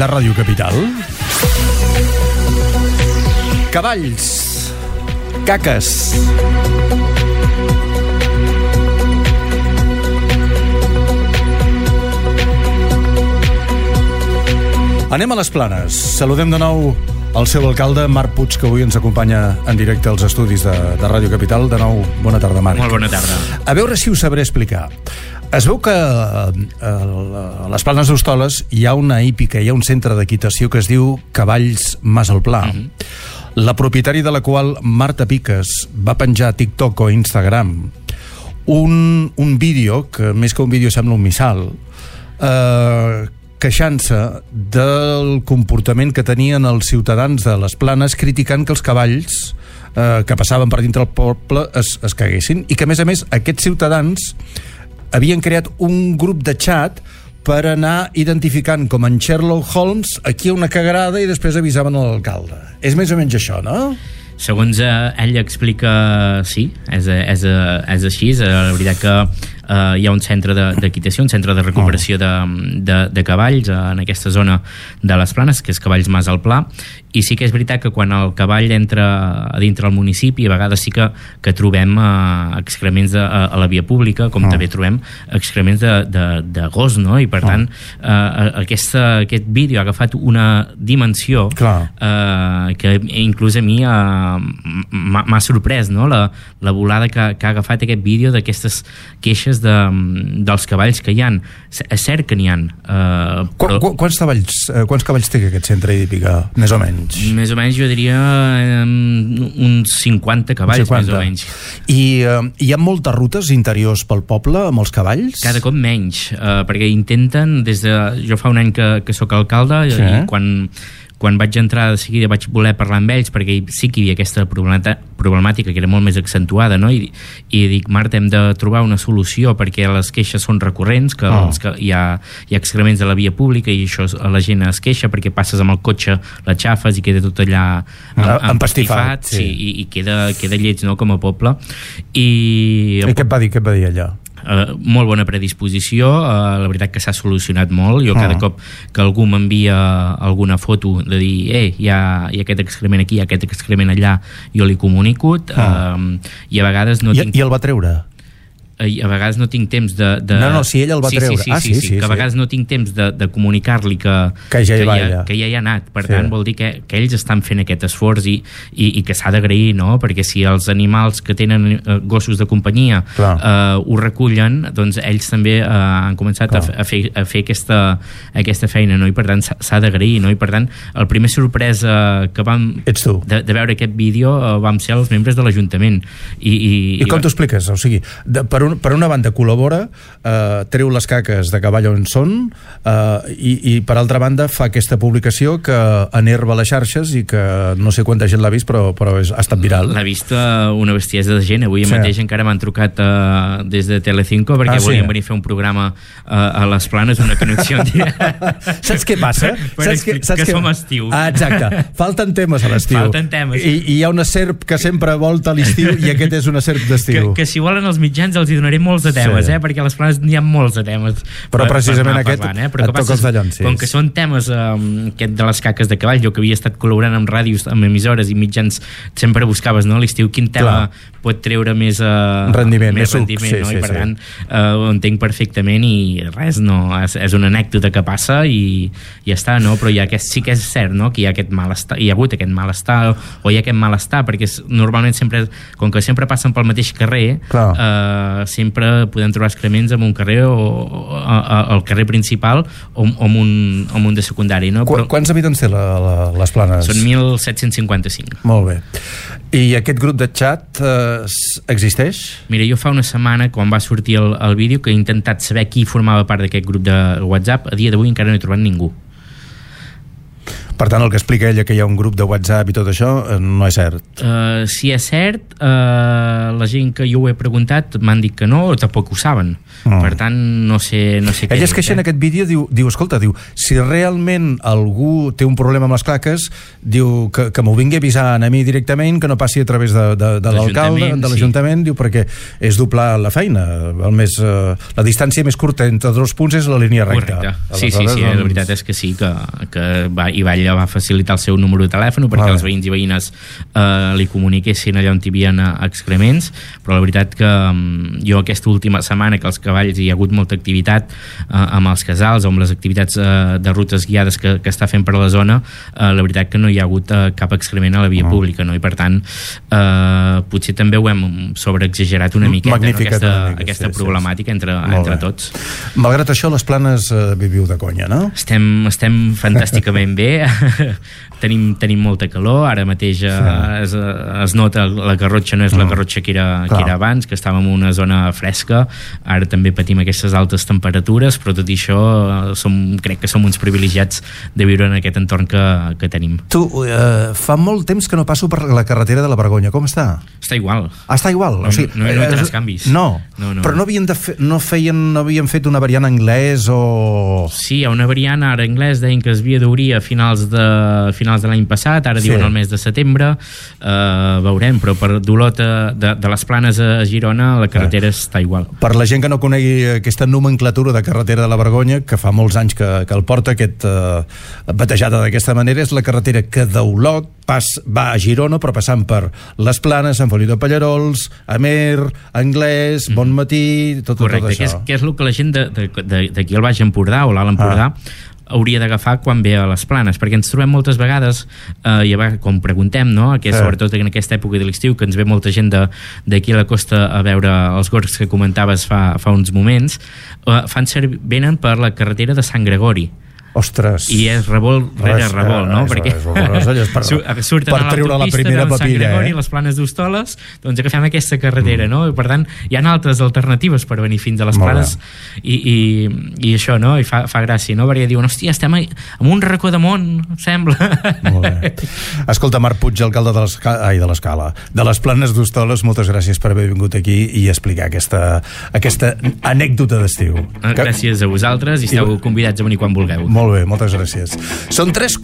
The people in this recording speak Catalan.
de Ràdio Capital. Cavalls, caques. Anem a les Planes. Saludem de nou el seu alcalde, Marc Puig, que avui ens acompanya en directe als estudis de Ràdio Capital. De nou, bona tarda, Marc. Molt bona tarda. A veure si ho sabré explicar. Es veu que a les Planes d'Hostoles hi ha una hípica, hi ha un centre d'equitació que es diu Cavalls Mas al Pla. La propietària de la qual, Marta Piques, va penjar a TikTok o Instagram un vídeo, que més que un vídeo sembla un missal, queixant-se del comportament que tenien els ciutadans de les Planes, criticant que els cavalls que passaven per dintre el poble es caguessin, i que a més aquests ciutadans havien creat un grup de xat per anar identificant com en Sherlock Holmes aquí una cagarada i després avisaven a l'alcalde. És més o menys això, no? Segons ell explica, sí, és així. La veritat que hi ha un centre d'equitació, un centre de recuperació de cavalls en aquesta zona de les Planes, que és Cavalls Mas al Pla, i sí que és veritat que quan el cavall entra a dintre del municipi, a vegades sí que trobem excrements a la via pública, com també trobem excrements de gos, no? I per tant aquest vídeo ha agafat una dimensió que inclús a mi m'ha sorprès, no? La volada que ha agafat aquest vídeo d'aquestes queixes dels cavalls que hi ha. És cert que n'hi ha. Quants cavalls té aquest centre hípica, més o menys? Més o menys jo diria uns 50 cavalls, més o menys. I hi ha moltes rutes interiors pel poble amb els cavalls? Cada cop menys, perquè intenten, jo fa un any que sóc alcalde, i quan vaig entrar de seguida vaig voler parlar amb ells, perquè sí que hi havia aquesta problemàtica que era molt més accentuada, no? I dic, Marta, hem de trobar una solució, perquè les queixes són recurrents, que hi ha excrements de la via pública i això la gent es queixa perquè passes amb el cotxe, l'aixafes i queda tot allà empastifat, i queda lleig, no?, com a poble. I què et va dir allà? Molt bona predisposició, la veritat que s'ha solucionat molt. Jo cada cop que algú m'envia alguna foto de dir hi ha aquest excrement aquí, hi ha aquest excrement allà, jo li comunico, i a vegades no tinc... I el va treure? A vegades no tinc temps de... No, si ell el va treure. Sí, que a vegades no tinc temps de comunicar-li que ja hi ha anat. Per tant, vol dir que ells estan fent aquest esforç i que s'ha d'agrair, no? Perquè si els animals que tenen gossos de companyia ho recullen, doncs ells també han començat a fer aquesta feina, no? I per tant s'ha d'agrair, no? I per tant, el primer sorpresa que vam de veure aquest vídeo vam ser els membres de l'Ajuntament. I com t'ho expliques? O sigui, per una banda col·labora, treu les caques de cavall on són, i per altra banda fa aquesta publicació que enerva les xarxes i que no sé quanta gent l'ha vist, però ha estat viral. L'ha vist una bestiesa de gent. Avui mateix encara m'han trucat des de Telecinco perquè volien venir a fer un programa a les Planes, una connexió. Saps què passa? Que som estiu. Exacte, falten temes a l'estiu. I hi ha una serp que sempre volta a l'estiu i aquest és una serp d'estiu. Que si volen els mitjans els donaré molts de temes, perquè a les Planes n'hi ha molts de temes. Però precisament aquest et toca els dallons. Com que són temes aquest de les caques de cavall, jo que havia estat col·laborant amb ràdios, amb emissores i mitjans, sempre buscaves, no, a l'estiu quin tema pot treure més rendiment, no? I per tant ho entenc perfectament i res, no, és una anècdota que passa i ja està, no? Però sí que és cert, no?, que hi ha aquest malestar, hi ha hagut aquest malestar o hi ha aquest malestar, perquè normalment sempre, com que sempre passen pel mateix carrer, sempre podem trobar excrements en un carrer o al carrer principal o en un de secundari, no? Quants habitants té les Planes? Són 1.755. Molt bé. I aquest grup de xat existeix? Mira, jo fa una setmana, quan va sortir el vídeo, que he intentat saber qui formava part d'aquest grup de WhatsApp, a dia d'avui encara no he trobat ningú. Per tant, el que explica ella, que hi ha un grup de WhatsApp i tot això, no és cert. Si és cert, la gent que jo ho he preguntat m'han dit que no, o tampoc ho saben. Per tant, no sé què. Ella es queixa en aquest vídeo, diu, escolta, si realment algú té un problema amb les claques, diu que m'ho vingui avisant a mi directament, que no passi a través de l'alcalde, de l'Ajuntament, diu, perquè és doblar la feina. La distància més curta entre dos punts és la línia recta. Correcte. Sí, la veritat és que sí, que Ivalla va facilitar el seu número de telèfon perquè els veïns i veïnes li comuniquessin allà on hi havia excrements, però la veritat que jo aquesta última setmana que als cavalls hi ha hagut molta activitat amb els casals o amb les activitats de rutes guiades que està fent per la zona, la veritat que no hi ha hagut cap excrement a la via pública, no? I per tant potser també ho hem sobreexagerat una miqueta, aquesta problemàtica entre tots. Malgrat això, les Planes viviu de conya, no? Estem fantàsticament bé. Tenim molta calor, ara mateix es nota la Garrotxa no és la Garrotxa que era abans, que estàvem en una zona fresca, ara també patim aquestes altes temperatures, però tot i això crec que som uns privilegiats de viure en aquest entorn que tenim. Tu, fa molt temps que no passo per la carretera de la Vergonya, com està? Està igual. Està igual? No hi tens canvis. No, però no havien fet una variant anglès o... Sí, hi ha una variant ara anglès, deien que es havia d'obrir a finals de l'any passat, ara diuen el mes de setembre, veurem, però per d'Olot de les Planes a Girona la carretera està igual. Per la gent que no conegui aquesta nomenclatura de carretera de la Vergonya, que fa molts anys que el porta batejada d'aquesta manera, és la carretera que d'Olot va a Girona, però passant per les Planes, Sant Feliu de Pallerols, Amer, Anglès, Bonmatí, tot això. Correcte, que és el que la gent d'aquí al Baix Empordà o l'Alt Empordà hauria d'agafar quan ve a les Planes, perquè ens trobem moltes vegades, com preguntem, no? Sobretot en aquesta època de l'estiu, que ens ve molta gent d'aquí a la costa a veure els gorgs que comentaves fa uns moments, venen per la carretera de Sant Gregori. Ostres. I és revolt rere revolt, no? Perquè surten a l'autopista de Sant Gregori, les Planes d'Hostoles, doncs agafem aquesta carretera, no? I per tant, hi ha altres alternatives per venir fins a les Planes i això, no? I fa gràcia, no? Perquè diuen, hòstia, estem en un racó de món, sembla. Molt bé. Escolta, Marc Puig, alcalde de l'Escala, de les Planes d'Hostoles, moltes gràcies per haver vingut aquí i explicar aquesta anècdota d'estiu. Gràcies a vosaltres i esteu convidats a venir quan vulgueu. Molt bé, moltes gràcies. Són 3:15.